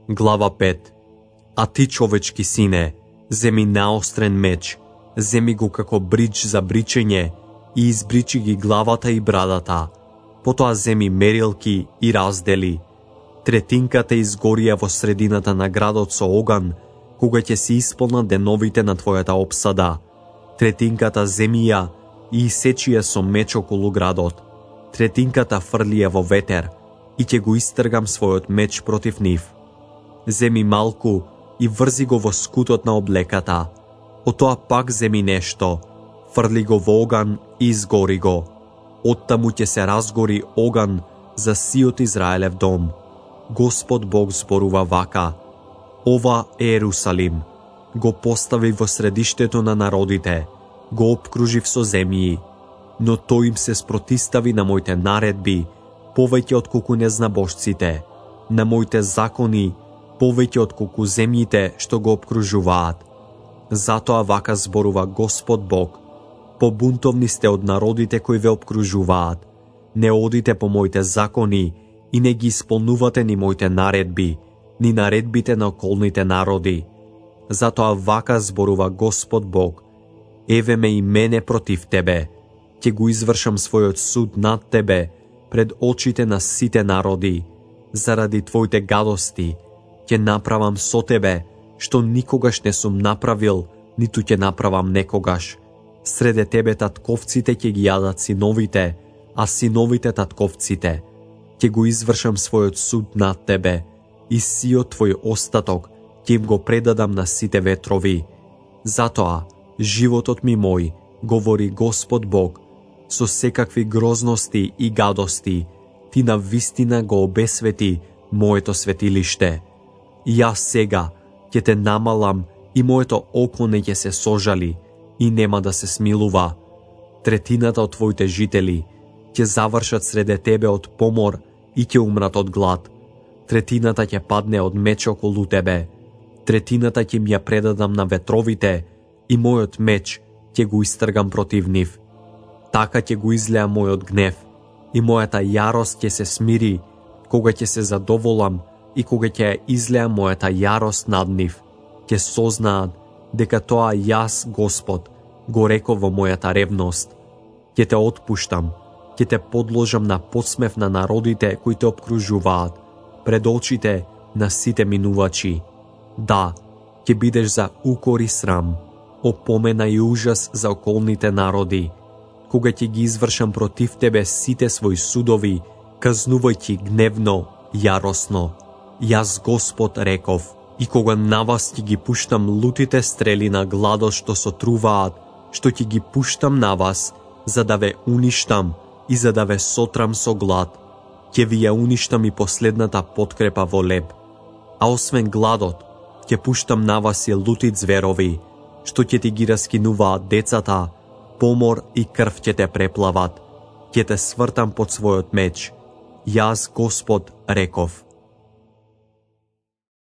Глава 5. А ти, човечки сине, земи наострен меч, земи го како брич за бричење и избричи ги главата и брадата. Потоа земи мерилки и раздели. Третинката изгорија во средината на градот со оган, кога ќе се исполнат деновите на твојата опсада. Третинката земија и исечија со меч околу градот. Третинката фрлија во ветер и ќе го истргам својот меч против нив. Земи малку и врзи го во скутот на облеката. Од тоа пак земи нешто, фрли го во оган и изгори го. Оттаму ќе се разгори оган за сиот Израелев дом. Господ Бог зборува вака: ова е Ерусалим, го постави во средиштето на народите, го опкружив со земји, но тој им се спротистави на моите наредби, повеќе отколку незнабожците, на моите закони, повеќе отколку земјите што го опкружуваат. Затоа вака зборува Господ Бог: побунтовни сте од народите кои ве опкружуваат, не одите по моите закони и не ги исполнувате ни моите наредби, ни наредбите на околните народи. Затоа вака зборува Господ Бог: еве ме и мене против тебе, ќе го извршам својот суд над тебе пред очите на сите народи. Заради твоите гадости ќе направам со тебе што никогаш не сум направил, ниту ќе направам некогаш. Среде тебе татковците ќе ги јадат синовите, а синовите татковците. Ќе го извршам својот суд над тебе и сиот твој остаток ќе им го предадам на сите ветрови. Затоа, животот ми мој, говори Господ Бог, со секакви грозности и гадости, ти на вистина го обесвети моето светилиште. Јас сега ќе те намалам и моето око не ќе се сожали и нема да се смилува. Третината од твоите жители ќе завршат среде тебе од помор и ќе умрат од глад. Третината ќе падне од меч околу тебе. Третината ќе ми ја предадам на ветровите и мојот меч ќе го истргам против нив. Така ќе го излеа мојот гнев и мојата јарост ќе се смири, кога ќе се задоволам и кога ќе ја излеа мојата јарост над нив. Ќе сознаат дека тоа јас, Господ, го реков во мојата ревност. Ќе те отпуштам, ќе те подложам на подсмев на народите кои те обкружуваат, пред очите на сите минувачи. Да, ќе бидеш за укор и срам, опомена и ужас за околните народи, кога ќе ги извршам против тебе сите своји судови, казнувајќи гневно, јаросно. Јас, Господ, реков, и кога на вас ќе ги пуштам лутите стрели на гладот што сотруваат, што ќе ги пуштам на вас, за да ве уништам и за да ве сотрам со глад, ќе ви ја уништам и последната подкрепа во леб. А освен гладот, ќе пуштам на вас и лути зверови, што ќе ти ги раскинуваат децата, помор и крв ќе те преплават, ќе те свртам под својот меч. Јас, Господ, реков.